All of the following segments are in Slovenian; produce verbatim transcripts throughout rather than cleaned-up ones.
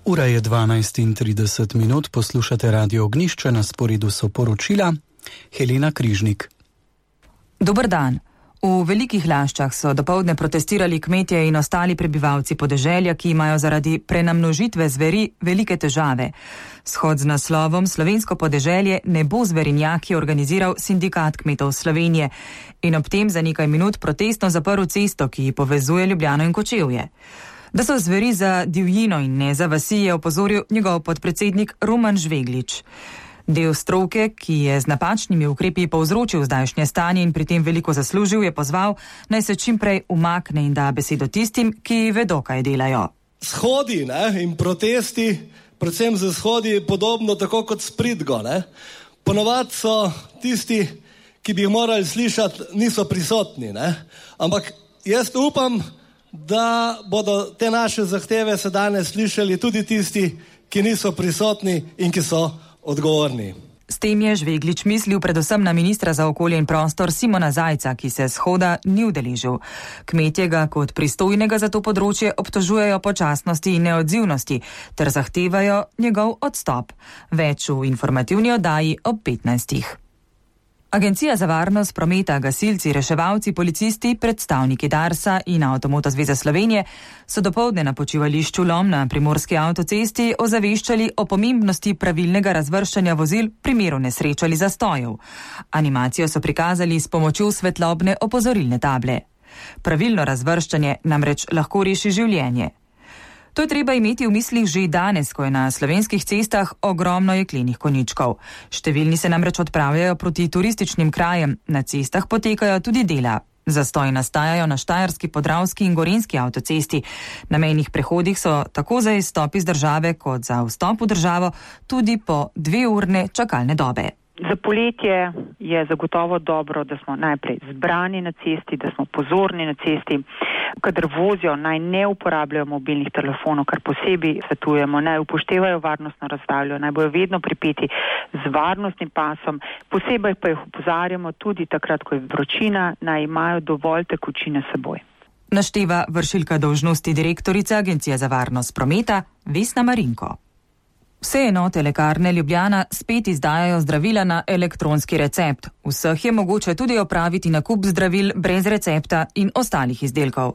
Ura je dvanajst in trideset minut, poslušate Radio Ognjišče, na sporedu so poročila. Helena Križnik. Dober dan. V Velikih Laščah so dopoldne protestirali kmetje in ostali prebivalci podeželja, ki imajo zaradi prenamnožitve zveri velike težave. Shod z naslovom Slovensko podeželje ne bo zverinjaki organiziral Sindikat kmetov Slovenije in ob tem za nekaj minut protestno zaprl cesto, ki povezuje Ljubljano in Kočevje. Da so zveri za divjino in ne za vasi, je opozoril njegov podpredsednik Roman Žveglič. Del stroke, ki je z napačnimi ukrepi povzročil zdajšnje stanje in pri tem veliko zaslužil, je pozval, naj se čim prej umakne in da besedo tistim, ki vedo, kaj delajo. Shodi ne, in protesti, predvsem za shodi, podobno tako kot s pridgo. Ne. Ponovadi so tisti, ki bi jih morali slišati, niso prisotni. Ne. Ampak jaz upam, da bodo te naše zahteve se danes slišali tudi tisti, ki niso prisotni in ki so odgovorni. S tem je Žveglič mislil predvsem na ministra za okolje in prostor Simona Zajca, ki se shoda ni udeležil. Kmetje ga kot pristojnega za to področje obtožujejo počasnosti in neodzivnosti ter zahtevajo njegov odstop. Več v informativni oddaji ob petnajstih. Agencija za varnost prometa, gasilci, reševalci, policisti, predstavniki Darsa in Avtomoto zveze Slovenije so dopoldne na počivališču Lom na primorski avtocesti ozaveščali o pomembnosti pravilnega razvrščanja vozil v primeru nesreč ali zastojev. Animacijo so prikazali s pomočjo svetlobne opozorilne table. Pravilno razvrščanje namreč lahko reši življenje. To je treba imeti v mislih že danes, ko je na slovenskih cestah ogromno jeklenih konjičkov. Številni se namreč odpravljajo proti turističnim krajem, na cestah potekajo tudi dela. Zastoji nastajajo na Štajerski, Podravski in Gorenjski avtocesti. Na mejnih prehodih so tako za izstop iz države kot za vstop v državo tudi po dveurne čakalne dobe. Za poletje je zagotovo dobro, da smo najprej zbrani na cesti, da smo pozorni na cesti. Kadar vozijo, naj ne uporabljajo mobilnih telefonov, kar posebej svetujemo, naj upoštevajo varnostno razdaljo, naj bojo vedno pripeti z varnostnim pasom. Posebej pa jih opozarjamo tudi takrat, ko je vročina, naj imajo dovolj tekočine s seboj. Našteva vršilka dolžnosti direktorica Agencije za varnost prometa Vesna Marinko. Vse enote lekarne Ljubljana spet izdajajo zdravila na elektronski recept. Vseh je mogoče tudi opraviti nakup zdravil brez recepta in ostalih izdelkov.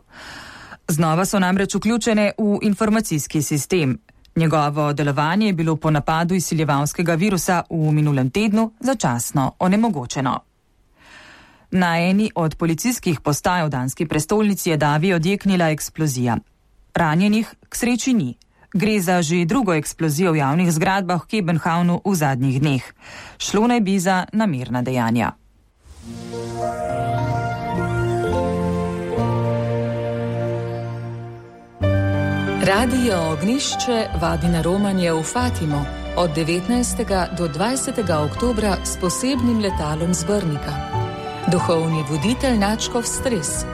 Znova so namreč vključene v informacijski sistem. Njegovo delovanje je bilo po napadu izsiljevalskega virusa v minulem tednu začasno onemogočeno. Na eni od policijskih postaj v danski prestolnici je davi odjeknila eksplozija. Ranjenih k sreči ni. Gre za že drugo eksplozijo v javnih zgradbah v Kebenhavnu v zadnjih dneh. Šlo naj bi za namerna dejanja. Radio Ognjišče vabi na romanje v Fatimo od devetnajstega do dvajsetega oktobra s posebnim letalom z Brnika. Duhovni voditelj Načkov Stres.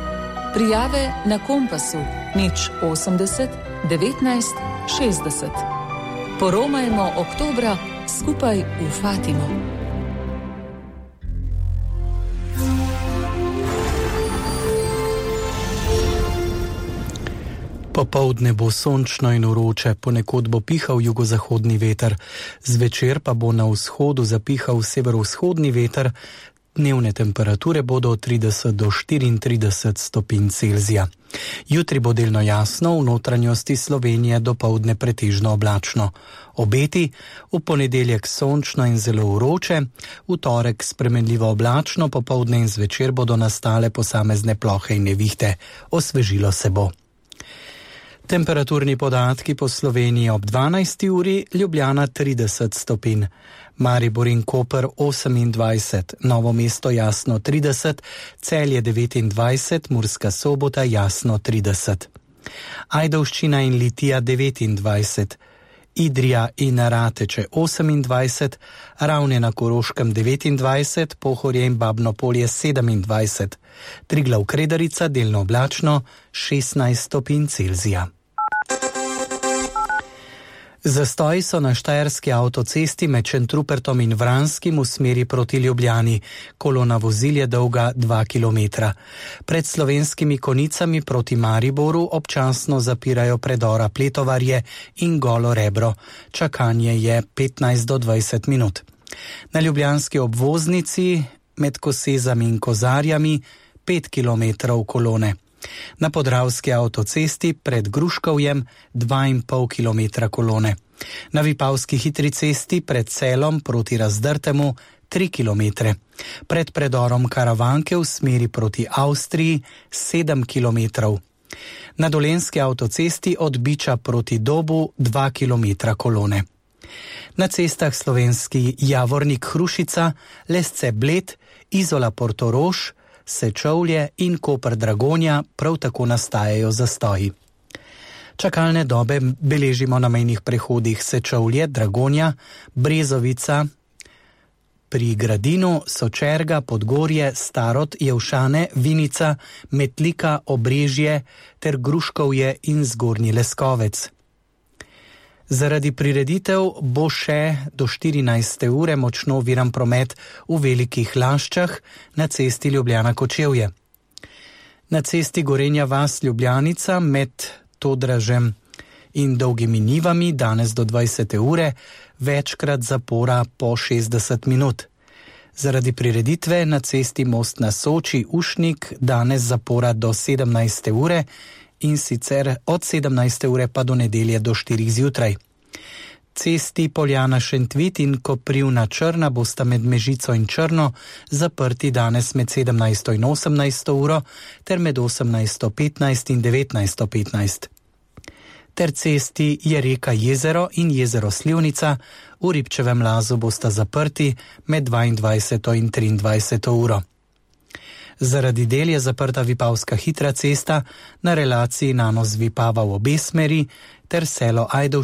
Prijave na Kompasu nič osemdeset devetnajst šestdeset. Poromajmo oktobra skupaj v Fatimo. Popoldne bo sončno in vroče, ponekod bo pihal jugozahodni veter. Zvečer pa bo na vzhodu zapihal severovzhodni veter. Dnevne temperature bodo od trideset do štiriintrideset stopinj Celzija. Jutri bo delno jasno, v notranjosti Slovenije dopoldne pretežno oblačno. Obeti: v ponedeljek sončno in zelo vroče, v torek spremenljivo oblačno, popoldne in zvečer bodo nastale posamezne plohe in nevihte. Osvežilo se bo. Temperaturni podatki po Sloveniji ob dvanajsti uri, Ljubljana trideset stopinj. Maribor in Koper osemindvajset, Novo mesto jasno trideset, Celje devetindvajset, Murska Sobota jasno trideset. Ajdovščina in Litija devetindvajset, Idrija in Rateče osemindvajset, Ravne na Koroškem devetindvajset, Pohorje in Babno Polje sedemindvajset, Triglav Kredarica delno oblačno šestnajst stopinj Celzija. Zastoji so na štajerski avtocesti med Šentrupertom in Vranskim v smeri proti Ljubljani. Kolona vozil je dolga dva kilometra. Pred Slovenskimi Konicami proti Mariboru občasno zapirajo predora Pletovarje in Golo Rebro. Čakanje je petnajst do dvajset minut. Na ljubljanski obvoznici med Kosezami in Kozarjami pet kilometrov kolone. Na podravski avtocesti pred Gruškovjem dva in pol kilometra kolone. Na Vipavski hitri cesti pred Celom proti Razdrtemu tri kilometre. Pred predorom Karavanke v smeri proti Avstriji sedem kilometrov. Na Dolenjski avtocesti od Biča proti Dobu dva kilometra kolone. Na cestah Slovenski Javornik Hrušica, Lesce Bled, Izola Portorož, Sečovlje in Koper Dragonja prav tako nastajajo zastoji. Čakalne dobe beležimo na mejnih prehodih Sečovlje, Dragonja, Brezovica, pri Gradinu, Sočerga, Podgorje, Starod, Jevšane, Vinica, Metlika, Obrežje ter Gruškovje in Zgornji Leskovec. Zaradi prireditev bo še do štirinajste ure močno oviran promet v Velikih Laščah na cesti Ljubljana-Kočevje. Na cesti Gorenja vas Ljubljanica med Todražem in Dolgimi Nivami danes do dvajsete ure večkrat zapora po šestdeset minut. Zaradi prireditve na cesti Most na Soči Ušnik danes zapora do sedemnajste ure in sicer od sedemnajste ure pa do nedelje do štirih zjutraj. Cesti Poljana Šentvit in Koprivna Črna bosta med Mežico in Črno zaprti danes med sedemnajsto in osemnajsto uro ter med osemnajsto petnajst in devetnajsto petnajst. Ter cesti Jereka Jezero in Jezero Slivnica v Ribčevem Lazu bosta zaprti med dvaindvajseto in triindvajseto uro. Zaradi del je zaprta Vipavska hitra cesta na relaciji Nanos Vipava v obe smeri ter selo Ajdovščina